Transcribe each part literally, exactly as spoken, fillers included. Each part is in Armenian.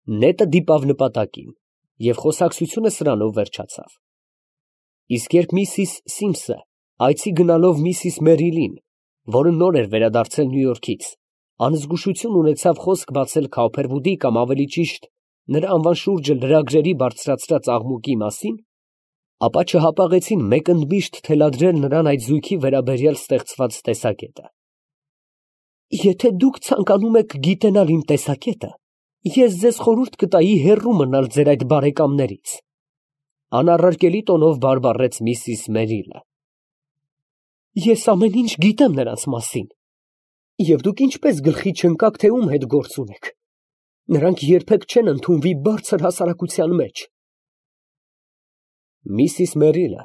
Նետը դիպավ նպատակին, և խոսակցությունը սրանով վերջացավ։ Իսկ երբ միսիս Սիմսը այցի գնալով միսիս Մերիլին, որը նոր էր վերադարձել Նյու Յորքից, անզգուշություն ունեցավ խոսք բացել Քաուփերվուդի կամ ավելի ճիշտ նրա անվան շուրջը լրագրերի բարձրացրած աղմուկի մասին, ապա չհապաղեցին մեկ ընդմիշտ թելադրել նրան այդ զույգի վերաբերյալ ստեղծված տեսակետը։ Եթե դուք ցանկանում եք գիտենալ իմ տեսակետը, ես ձեզ խորհուրդ կտայի հեռու մնալ ձեր այդ բարեկամներից, անառարկելի տոնով բարբառեց միսիս Մերիլը։ Ես ամեն ինչ գիտեմ նրանց մասին, և դուք ինչպես գլխի չընկաք, թե ում հետ գործ ունեք։ Նրանք երբեք չեն ընդունվի բարձր հասարակության մեջ։ Միսիս Մերիլը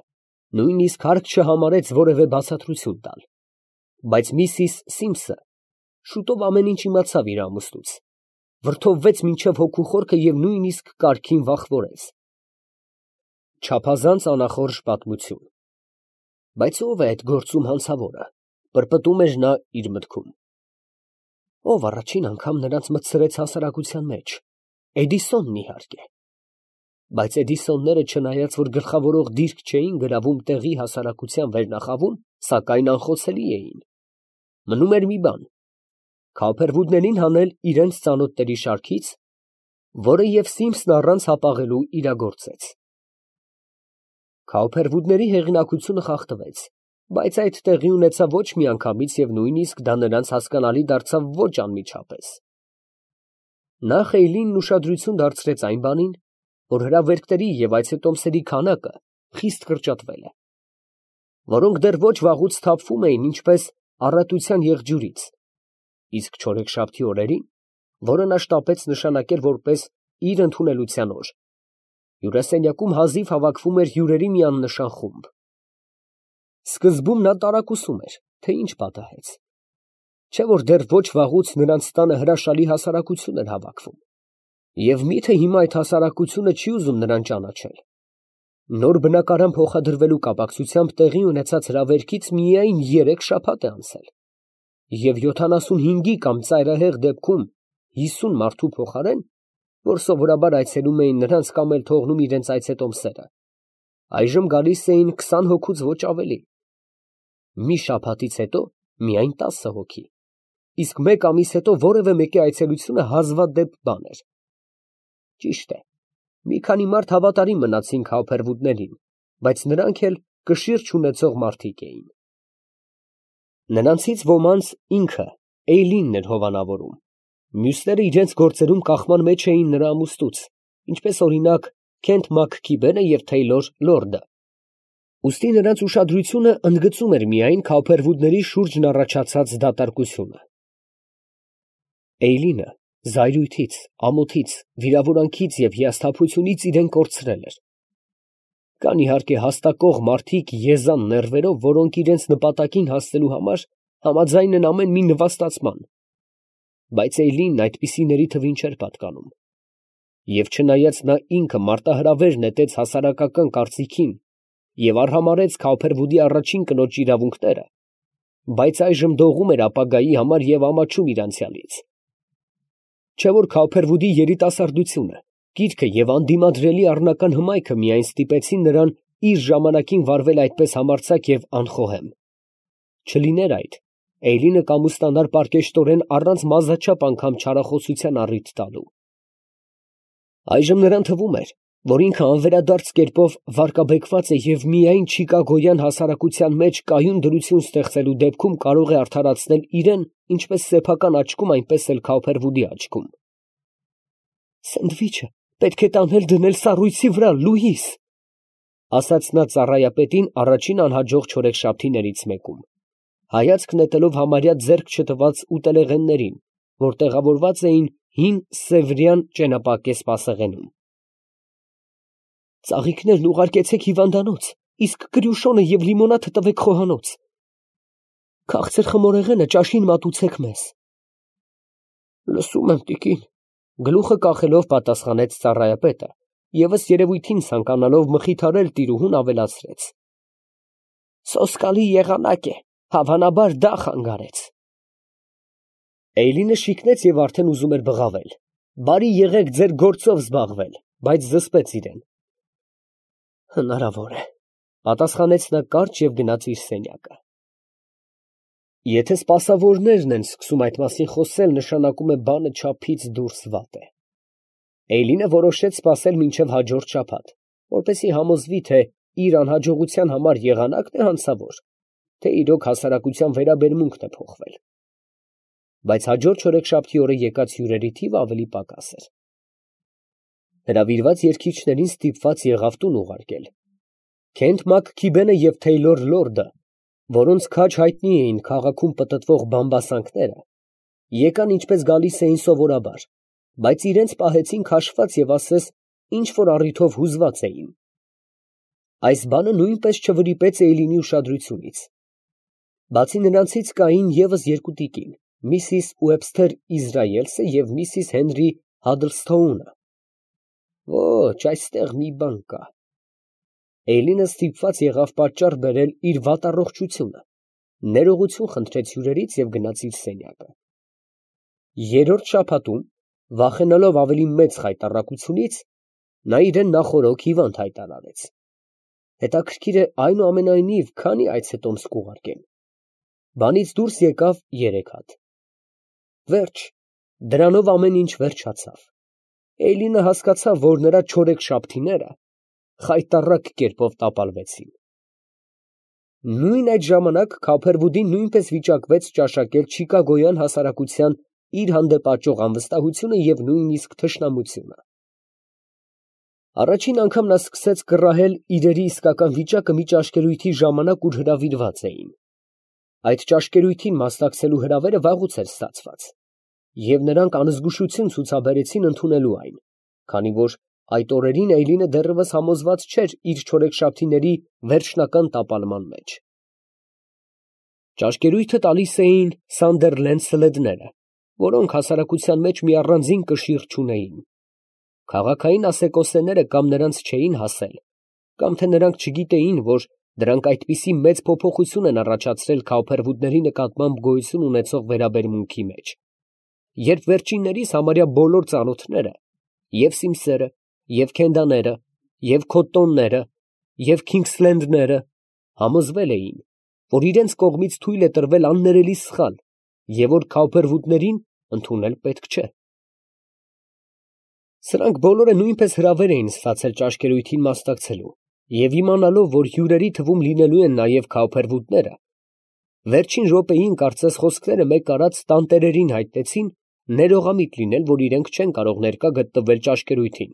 նույնիսկ հարկ չհամարեց որևէ բացատրություն տալ, բայց միսիս Սիմսը շուտով ամեն ինչ իմացավ իր ամուսնուց, վրդովվեց մինչև հոգու խորքը և նույնիսկ կարգին վախվորեց։ Չափազանց անախորժ պատմություն։ Բայց ո՞վ է այդ գործում հանցավորը, պրպտում էր նա իր մտքում։ Ով առաջին անգամ նրանց մտցրեց հասարակության մեջ։ Էդիսոնն իհարկե։ Բայց Էդիսոնները, չնայած որ գլխավորող դիրք չէին գրավում տեղի հասարակության վերնախավում, սակայն անխոցելի էին։ Մնում էր մի բան. Քաուփերվուդներին հանել իրենց ծանոթների շարքից, որը և Սիմսն առանց հապաղելու իրագործեց։ Քաուփերվուդների հեղինակությունը խախտվեց, բայց այդ տեղի ունեցավ ոչ միանգամից և նույնիսկ դա նրանց հասկանալի դարձավ ոչ անմիջապես։ Նախ Էյլինն ուշադրություն դարձրեց այն բանին, որ հրավերքների և այցետոմսերի քանակը խիստ կրճատվել է, որոնք դեռ ոչ վաղուց թափվում էին ինչպես առատության եղջյուրից, իսկ չորեքշաբթի օրերին, որը նա շտապեց նշանակել որպես իր ընդունելության օր, հյուրասենյակում հազիվ հավաքվում էր հյուրերի մի աննշան խումբ։ Սկզբում նա տարակուսում էր, թե ինչ պատահեց, չէ՞ որ դեռ ոչ վաղուց նրանց տանը հրաշալի հասարակություն էր հավաքվում, և մի՞թե հիմա այդ հասարակությունը չի ուզում նրան ճանաչել։ Նոր բնակարան փոխադրվելու կապակցությամբ տեղի ունեցած հրավերքից միայն երեք շաբաթ է անցել, և յոթանասունհինգի կամ ծայրահեղ դեպքում հիսուն մարդու փոխարեն, որ սովորաբար այցելում էին նրանց կամ էլ թողնում իրենց այցետոմսերը, այժմ գալիս էին քսան հոգուց ոչ ավելի։ Մի շաբաթից հետո միայն տասը հոգի, իսկ մեկ ամիս հետո որևէ մեկի այցելությունը հազվադեպ բան էր։ Ճիշտ է, մի քանի մարդ հավատարիմ մնացին Քաուփերվուդներին, բայց նրանք էլ կշիռ չունեցող մարդիկ էին։ Նրանցից ոմանց ինքը Էյլինն էր հովանավորում, մյուսները իրենց գործերում կախման մեջ էին նրա ամուսնուց, ինչպես օրինակ Քենթ Մաքքիբենը և Թեյլոր Լորդը։ Ուստի նրանց ուշադրությունը ընդգծում էր միայն Քաուփերվուդների շուրջն առաջացած դատարկությունը։ Էյլինը զայրույթից, ամոթից, վիրավորանքից և հիասթափությունից իրեն կորցրել էր։ Կան իհարկե հաստակող մարդիկ եզան նեռվերով, որոնք իրենց նպատակին հասնելու համար համաձայն են ամեն մի նվաստացման, բայց Էյլինն այդպիսիների թվին չէր պատկանում։ Եվ չնայած նա ինքը մարտահրավեր նետեց հասարակական կարծիքին և արհամարհեց Քաուփերվուդի առաջին կնոջ իրավունքները, բայց այժմ դողում էր ապագայի համար և ամաչում իր անցյալից։ Չէ՞ որ Քաուփերվուդի երիտասարդությունը, կիրքը և անդիմադրելի առնական հմայքը միայն ստիպեցին նրան իր ժամանակին վարվել այդպես համարձակ և անխոհեմ։ Չլիներ այդ, Էյլինը կամուստանար պարկեշտորեն առանց մազաչափ անգամ չարախոսության առիթ տալու։ Այժմ նրան թվում էր, որ ինքը անվերադարձ կերպով վարկաբեկված է և միայն չիկագոյան հասարակության մեջ կայուն դրություն ստեղծելու դեպքում կարող է արդարացնել իրեն ինչպես սեփական աչքում, այնպես էլ Քաուփերվուդի աչքում։ «Սենդվիչը պետք է տանել դնել սառույցի վրա, Լուիս», ֊ ասաց նա ծառայապետին առաջին անհաջող չորեքշաբթիներից մեկում, հայացք նետելով համարյա ձեռք չտված ուտելեղեններին, որ տեղավորված էին հին սևրյան ճենապակե սպասեղենում։ «Ծաղիկներն ուղարկեցեք հիվանդանոց, իսկ կրյուշոնը և լիմոնադը տվեք խոհանոց։ Քաղցր խմորեղենը ճաշին մատուցեք մեզ»։ «Լսում եմ, տիկին», ֊ գլուխը կախելով պատասխանեց ծառայապետը, ևս երևույթին ցանկանալով մխիթարել տիրուհուն, ավելացրեց. «Սոսկալի եղանակ է, հավանաբար դա խանգարեց»։ Էյլինը շիկնեց և արդեն ուզում էր բղավել, Բարի եղեք ձեր գործով զբաղվել, բայց զսպեց իրեն։ Հնարավոր է, պատասխանեց նա կարճ և գնաց իր սենյակը։ Եթե սպասավորներն են սկսում այդ մասին խոսել, նշանակում է բանը չափից դուրս վատ է։ Էյլինը որոշեց սպասել մինչև հաջորդ շաբաթ, որպեսզի համոզվի, թե իր անհաջողության համար եղանակն է հանցավոր, թե իրոք հասարակության վերաբերմունքն է փոխվել։ Բայց հաջորդ չորեքշաբթի օրը եկած հյուրերի թիվը ավելի պակաս էր։ Հրավիրված երգիչներին ստիպված եղավ տուն ուղարկել։ Քենթ Մաքքիբենը և Թեյլոր Լորդը, որոնց քաջ հայտնի էին քաղաքում պտտվող բամբասանքները, եկան ինչպես գալիս էին սովորաբար, բայց իրենց պահեցին քաշված և ասես ինչ որ առիթով հուզված էին։ Այս բանը նույնպես չվրիպեց Էյլինի ուշադրությունից։ Բացի նրանցից կային ևս երկու տիկին, միսիս Ուեբսթեր Իզրայելսը և միսիս Հենրի Հադլսթոունը։ Ոչ, այստեղ մի բան կա։ Էյլինը ստիպված եղավ պատճառ բերել իր վատառողջությունը, ներողություն խնդրեց հյուրերից և գնաց իր սենյակը։ Երրորդ շաբաթում, վախենալով ավելի մեծ խայտառակությունից, նա իրեն նախօրոք հիվանդ հայտարարեց։ Հետաքրքիր է, այնուամենայնիվ, քանի այց է տոմս կուղարկել։ Բանից դուրս եկավ երեք հատ։ Վերջ, դրանով ամեն ինչ վերջացավ։ Էյլինը հասկացավ, որ նրա չորեքշաբթիները խայտառակ կերպով տապալվեցին։ Նույն այդ ժամանակ Քոփերվուդին նույնպես վիճակվեց ճաշակել չիկագոյան հասարակության իր հանդեպ աճող անվստահությունը և նույնիսկ թշնամությունը։ Առաջին անգամ նա սկսեց կռահել իրերի իսկական վիճակը մի ճաշկերույթի ժամանակ, ուր հրավիրված էին։ Այդ ճաշկերույթին մասնակցելու հրավերը վաղուց էր ստացված, և նրանք անզգուշություն ցուցաբերեցին ընդունելու այն, քանի որ այդ օրերին Էյլինը դեռևս համոզված չէր իր չորեքշաբթիների վերջնական տապալման մեջ։ Ճաշկերույթը տալիս էին Սանդերլենդ սլեդները, որոնք հասարակության մեջ մի առանձին կշիռ չունեին։ Քաղաքային ասեկոսեները կամ նրանց չէին հասել, կամ թե նրանք չգիտեին, որ դրանք այդպիսի մեծ փոփոխություն են առաջացրել Քոփերվուդների նկատմամբ գոյություն ունեցող վերաբերմունքի մեջ, երբ վերջիններիս համարյա բոլոր ծանոթները, և Սիմսերը, և Քենդաները, և Քոտտոնները, և Քինգսլենդները համոզվել էին, որ իրենց կողմից թույլ է տրվել աններելի սխալ և որ Քոփերվուդներին ընդունել պետք չէ։ Սրանք բոլորը նույնպես հրավեր էին ստացել ճաշկերույթին մասնակցելու, և իմանալով, որ հյուրերի թվում լինելու են նաև Քոփերվուդները, վերջին րոպեին կարծես խոսքերը մեկ արած տանտերերին հայտնեցին ներողամիտ լինել, որ իրենք չեն կարող ներկա գտնվել ճաշկերույթին,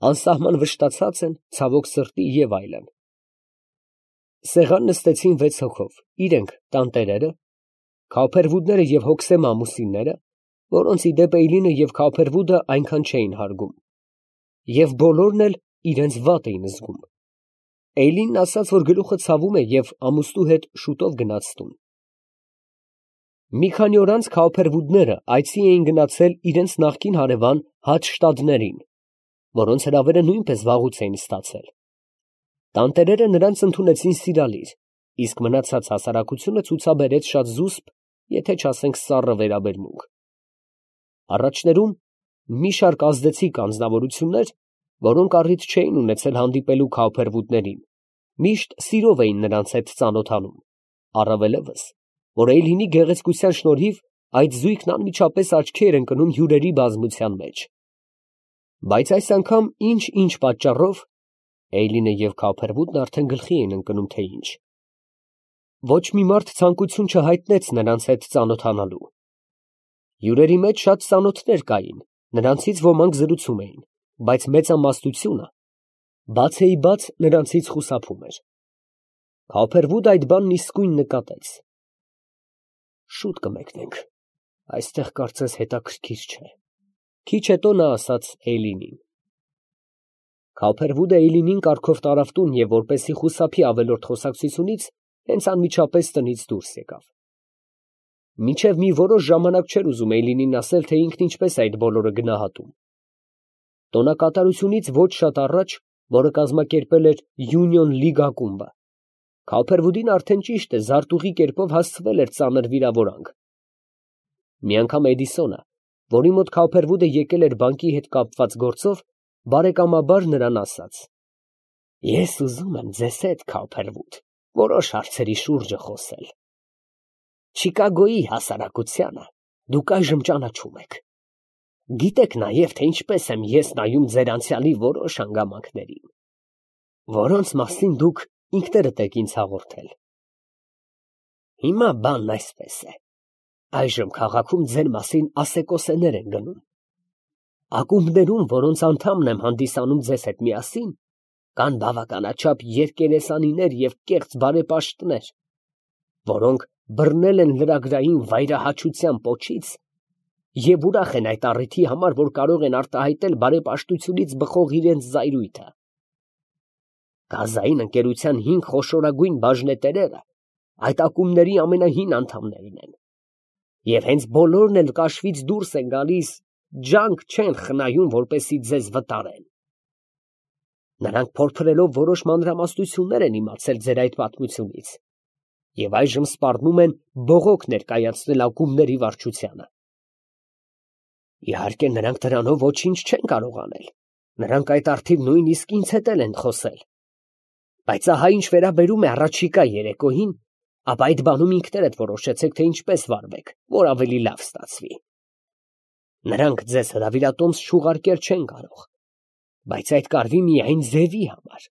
անսահման վշտացած են, ցավոք սրտի և այլն։ Սեղան նստեցին վեց հոգով, իրենք տանտերերը, Քոփերվուդները և հոգսեմ ամուսինները, որոնց ի դեպ Էյլինը և Քոփերվուդը այնքան չէին հարգում, և բոլորն էլ իրենց վատ էին զգում։ Էյլինն ասաց, որ գլուխը ցավում է և ամուսնու հետ շուտով գնաց տուն։ Մի քանի օր անց Քոփերվուդները այցի էին գնացել իրենց նախկին հարևան Հադշտադներին, որոնց հրավերը նույնպես վաղուց էին ստացել։ Տանտերերը նրանց ընդունեցին սիրալիր, իսկ մնացած հասարակությունը ցուցաբերեց շատ զուսպ, եթե չասենք սառը վերաբերմունք։ Առաջներում մի շարք ազդեցիկ անձնավորություններ, որոնք առիթ չէին ունեցել հանդիպելու Քոփերվուդներին, միշտ սիրով էին նրանց հետ ծանոթանում, առավելևս, որ Էյլինի գեղեցկության շնորհիվ այդ զույգն անմիջապես աչքի էր ընկնում հյուրերի բազմության մեջ։ Բայց այս անգամ ինչ֊ինչ պատճառով Էյլինը և Քոփերվուդն արդեն գլխի էին ընկնում, թե ինչ։ Ոչ մի մարդ ցանկություն չհայտնեց նրանց հետ ծանոթանալու։ Հյուրերի մեջ շատ ծանոթներ կային, նրանցից ոմանք զրուցում էին, բայց մեծամասնությունը բացեիբաց նրանցից խուսափում էր։ Քոփերվուդը այդ բանն իսկույն նկատեց։ Շուտ կմեկնենք, այստեղ կարծես հետաքրքիր չէ, քիչ հետո նա ասաց Էյլինին։ Քոփերվուդը Էյլինին կարգով տարավ տուն և որպեսզի խուսափի ավելորդ խոսակցությունից, հենց անմիջապես տնից դուրս եկավ։ Մինչև մի որոշ ժամանակ չէր ուզում Էյլինին ասել, թե ինքն ինչպես է այդ բոլորը գնահատում։ Տոնակատարությունից ոչ շատ առաջ, որը կազմակերպել էր Յունիոն Լիգ ակումբը, Քոփերվուդին արդեն ճիշտ է զարտուղի կերպով հասցվել էր ծանր վիրավորանք։ Մի անգամ Էդիսոնը, որի մոտ Քավփերվուդը եկել էր բանկի հետ կապված գործով, բարեկամաբար նրան ասաց. «Ես ուզում եմ ձեզ հետ, Քավփերվուդ, որոշ հարցերի շուրջը խոսել. Չիկագոյի հասարակությանը դուք այժմ ճանաչում եք. գիտեք նաև, թե ինչպես եմ ես նայում ձեր անցյալի որոշ հանգամանքներին, որոնց մասին դուք ինքներդ եք ինձ հաղորդել։ Հիմա բանն այսպես է. այժմ քաղաքում ձեր մասին ասեկոսեներ են գնում։ Ակումբներում, որոնց անդամն եմ հանդիսանում ձեզ հետ միասին, կան բավականաչափ երկերեսանիներ և կեղծ բարեպաշտներ, որոնք բռնել են լրագրային վայրահաչության պոչից և ուրախ են այդ առիթի համար, որ կարող են արտահայտել բարեպաշտությունից բխող իրենց զայրույթը։ Գազային ընկերության հինգ խոշորագույն բաժնետերերը այդ ակումբների ամենահին անդամներն են, և հենց բոլորն էլ կաշվից դուրս են գալիս, ջանք չեն խնայում, որպեսզի ձեզ վտարեն։ Նրանք փորփրելով որոշ մանրամասնություններ են իմացել ձեր այդ պատմությունից և այժմ սպառնում են բողոք ներկայացնել ակումբների վարչությանը։ Իհարկե, նրանք դրանով ոչինչ չեն կարող անել, նրանք այդ առթիվ նույնիսկ ինձ հետ էլ են խոսել, բայց ահա ինչ վերաբերում է առաջիկա երեկոյին, ապա այդ բանում ինքներդ որոշեցեք, թե ինչպես վարվեք, որ ավելի լավ ստացվի։ Նրանք ձեզ հրավիրատոմս չուղարկել չեն կարող, բայց այդ կարվի միայն ձևի համար։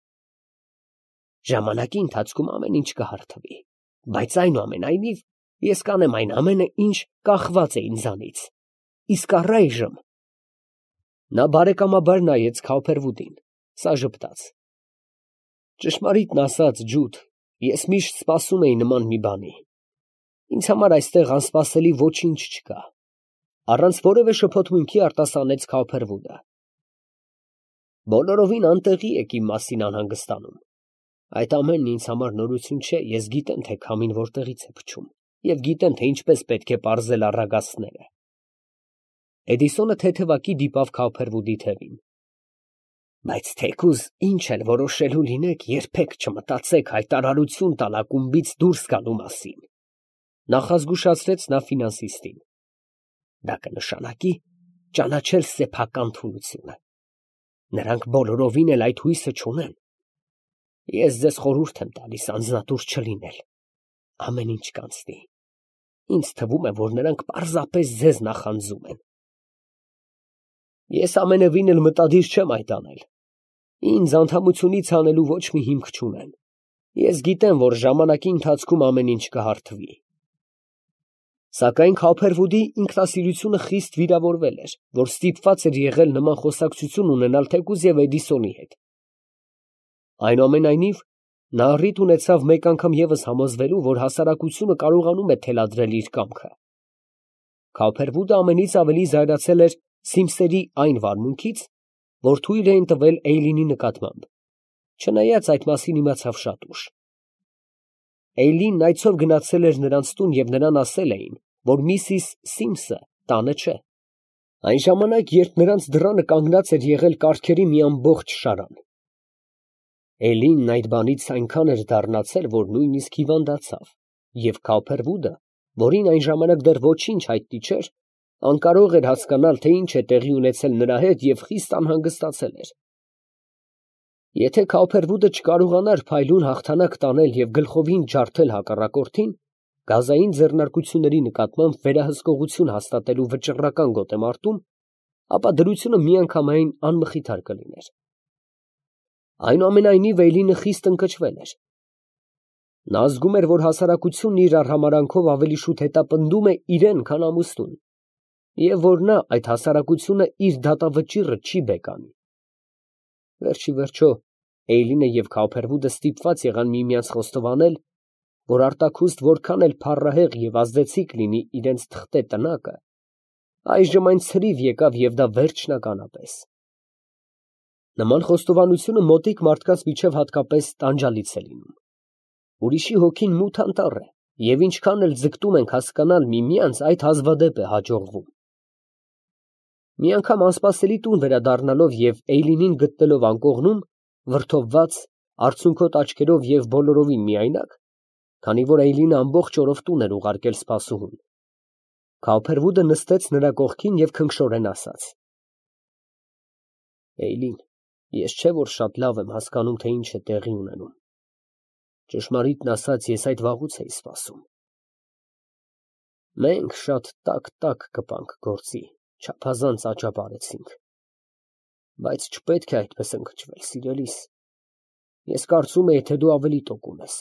Ժամանակի ընթացքում ամեն ինչ կհարթվի, բայց այնուամենայնիվ ես կանեմ այն ամենը, ինչ կախված է ինձանից, իսկ առայժմ… Նա բարեկամաբար նայեց Քավփերվուդին, սա ժպտաց. Ճշմարիտն ասած, Ջուդ, ես միշտ սպասում էի նման մի բանի, ինձ համար այստեղ անսպասելի ոչինչ չկա, առանց որևէ շփոթմունքի արտասանեց Քավփերվուդը։ Բոլորովին անտեղի եք իմ մասին անհանգստանում, այդ ամենն ինձ համար նորություն չէ, ես գիտեմ, թե քամին որտեղից է փչում, և գիտեմ, թե ինչպես պետք է պարզել առագաստները։ Էդիսոնը թեթևակի դիպավ Քավփերվուդի թևին։ Բայց թեկուզ ինչ էլ որոշելու լինեք, երբեք չմտածեք հայտարարություն տալ ակումբից դուրս գալու մասին, նախազգուշացրեց նա ֆինանսիստին։ Դա կնշանակի ճանաչել սեփական թուլությունը։ Նրանք բոլորովին էլ այդ հույսը չունեն։ Ես ձեզ խորհուրդ եմ տալիս անձնատուր չլինել, ամեն ինչ կանցնի։ Ինձ թվում է, որ նրանք պարզապես ձեզ նախանձում են։ Ես ամենևին էլ մտադիր չեմ այդ անել։ Ինձ անդամությունից հանելու ոչ մի հիմք չունեն։ Ես գիտեմ, որ ժամանակի ընթացքում ամեն ինչ կհարթվի։ Սակայն Քավփերվուդի ինքնասիրությունը խիստ վիրավորվել էր, որ ստիպված էր եղել նման խոսակցություն ունենալ թեկուզ և Էդիսոնի հետ։ Այնուամենայնիվ, նա առիթ ունեցավ մեկ անգամ ևս համոզվելու, որ հասարակությունը կարողանում է թելադրել իր կամքը։ Քավփերվուդը ամենից ավելի զայրացել էր Սիմսերի այն վարմունքից, որ թույլ էին տվել Էյլինի նկատմամբ, չնայած այդ մասին իմացավ շատ ուշ։ Էյլինն այցով գնացել էր նրանց տուն և նրան ասել էին, որ միսիս Սիմսը տանը չէ։ Այն ժամանակ, երբ նրանց դռանը կանգնած էր եղել կառքերի մի ամբողջ շարան։ Էյլինն այդ բանից այնքան էր դառնացել, որ նույնիսկ հիվանդացավ, և Քավփերվուդը, որին այն ժամանակ դեռ ոչինչ հայտնի չէր, անկարող էր հասկանալ, թե ինչ է տեղի ունեցել նրա հետ և խիստ անհանգստացել էր։ Եթե Քավփերվուդը չկարողանար փայլուն հաղթանակ տանել և գլխովին ջարդել հակառակորդին, գազային ձեռնարկությունների նկատմամբ վերահսկողություն հաստատելու վճռական գոտեմարտում, ապա դրությունը միանգամայն անմխիթար կլիներ։ Այնուամենայնիվ Էյլինը խիստ ընկճվել էր։ Նա զգում էր, որ հասարակությունն իր արհամարհանքով ավելի շուտ հետապնդում է իրեն, քան ամուսնուն, և որ նա այդ հասարակությունը իր դատավճիռը չի բեկանի։ Վերջիվերջո, Էյլինը և Քավփերվուդը ստիպված եղան միմյանց խոստովանել, որ արտաքուստ որքան էլ փառահեղ և ազդեցիկ լինի իրենց թղթե տնակը, այժմ այն ցրիվ եկավ և դա վերջնականապես։ Նման խոստովանությունը մոտիկ մարդկանց միջև հատկապես տանջալից է լինում։ Ուրիշի հոգին մութ անտառ է, և ինչքան էլ ձգտում ենք հասկանալ միմյանց, այդ հազվադեպ է հաջողվում։ Մի անգամ անսպասելի տուն վերադառնալով և Էյլինին գտնելով անկողնում, վրդովված, արցունքոտ աչքերով և բոլորովին միայնակ, քանի որ Էյլինը ամբողջ օրով տուն էր ուղարկել սպասուհուն, Քավփերվուդը նստեց նրա կողքին և քնքշորեն ասաց. Էյլին, ես չէ որ շատ լավ եմ հասկանում, թե ինչ է տեղի ունենում. ճշմարիտն ասած, ես այդ վաղուց էի սպասում. մենք շատ տաք֊տաք կպանք գործի, չափազանց աճապարեցինք, բայց չպետք է այդպես ընկճվել, սիրելիս, ես կարծում էի, թե դու ավելի տոկուն ես,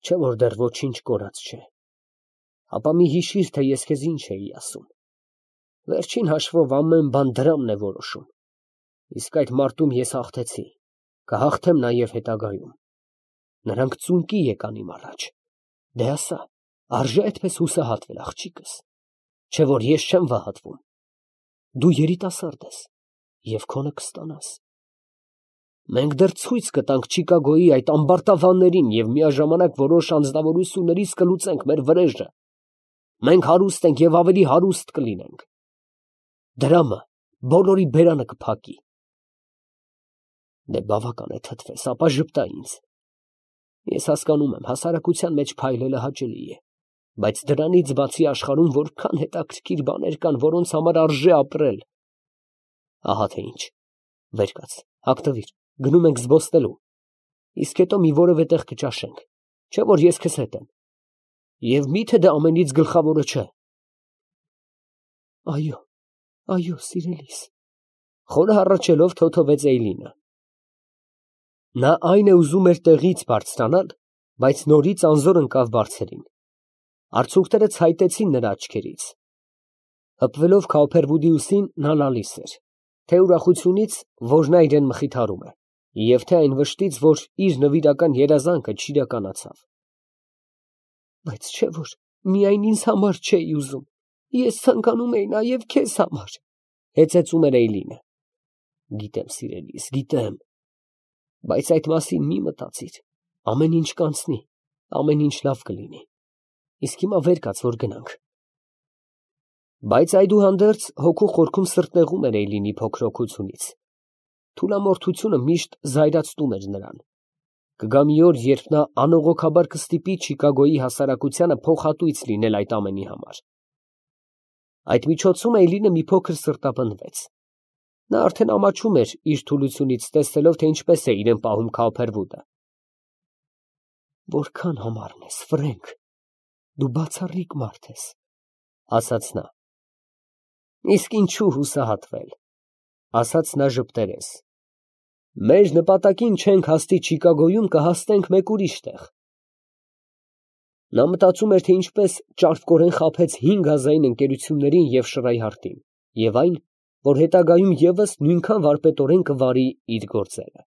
չէ որ դեռ ոչինչ կորած չէ, ապա մի հիշիր, թե ես քեզ ինչ էի ասում, վերջին հաշվով ամեն բան դրամն է որոշում, իսկ այդ մարտում ես հաղթեցի, կհաղթեմ նաև հետագայում, նրանք ծունկի եկան իմ առաջ, դե ասա, արժե այդպես հուսահատվել, աղջիկս, չէ որ ես չեմ վհատվում, դու երիտասարդ ես և քոնը կստանաս, մենք դեռ ցույց կտանք Չիկագոյի այդ ամբարտավաններին և միաժամանակ որոշ անձնավորություններից կլուծենք մեր վրեժը, մենք հարուստ ենք և ավելի հարուստ կլինենք, դրամը բոլորի բերանը կփակի, դե բավական է թթվես, ապա ժպտա ինձ, ես հասկանում եմ, հասարակության մեջ փայլելը հաճելի է, բայց դրանից բացի աշխարհում որքան հետաքրքիր բաներ կան, որոնց համար արժե ապրել, ահա թե ինչ, վեր կաց, հագնվիր, գնում ենք զբոսնելու, իսկ հետո մի որևէ տեղ կճաշենք, չէ որ ես քեզ հետ եմ, և մի՞թե դա ամենից գլխավորը չէ։ Այո, այո, սիրելիս, խորը հառաչելով թոթվեց Էյլինը։ Նա այն է ուզում էր տեղից բարձրանալ, բայց նորից անզոր ընկավ բարձրին։ Արցունքները ցայտեցին նրա աչքերից։ Հպվելով Քավփերվուդի ուսին, նա լալիս էր, թե ուրախությունից, որ նա իրեն մխիթարում է, և թե այն վշտից, որ իր նվիրական երազանքը չիրականացավ։ Բայց չէ որ միայն ինձ համար չէի ուզում, ես ցանկանում էի նաև քեզ համար, հեծեծում էր Էյլինը։ Գիտեմ, սիրելիս, գիտեմ, բայց այդ մասին մի մտածիր, ամեն ինչ կանցնի, ամեն ինչ լավ կլինի, իսկ հիմա վեր կաց, որ գնանք։ Բայց այդուհանդերձ հոգու խորքում սրտնեղում էր Էյլինի փոքր օգությունից, թուլամորթությունը միշտ զայրացնում էր նրան։ Կգա մի օր, երբ նա անողոքաբար կստիպի Չիկագոյի հասարակությանը փոխհատույց լինել այդ ամենի համար։ Այդ միջոցում Էյլինը մի փոքր սրտապնդվեց։ Նա արդեն ամաչում էր իր թուլությունից, տեսնելով, թե ինչպես է իրեն պահում Քավփերվուդը։ Որքան համառն ես, Ֆրենկ, դու բացառիկ մարդ ես, ասաց նա։ Իսկ ինչու հուսահատվել, ասաց նա ժպտերես։ Մեր նպատակին չենք հասնի Չիկագոյում, կհասնենք մեկ ուրիշ տեղ։ Նա մտածում էր, թե ինչպես ճարպկորեն խաբեց հինգ գազային ընկերություններին և Շրայհարտին, և այն, որ հետագայում ևս նույնքան վարպետորեն կվարի իր գործերը։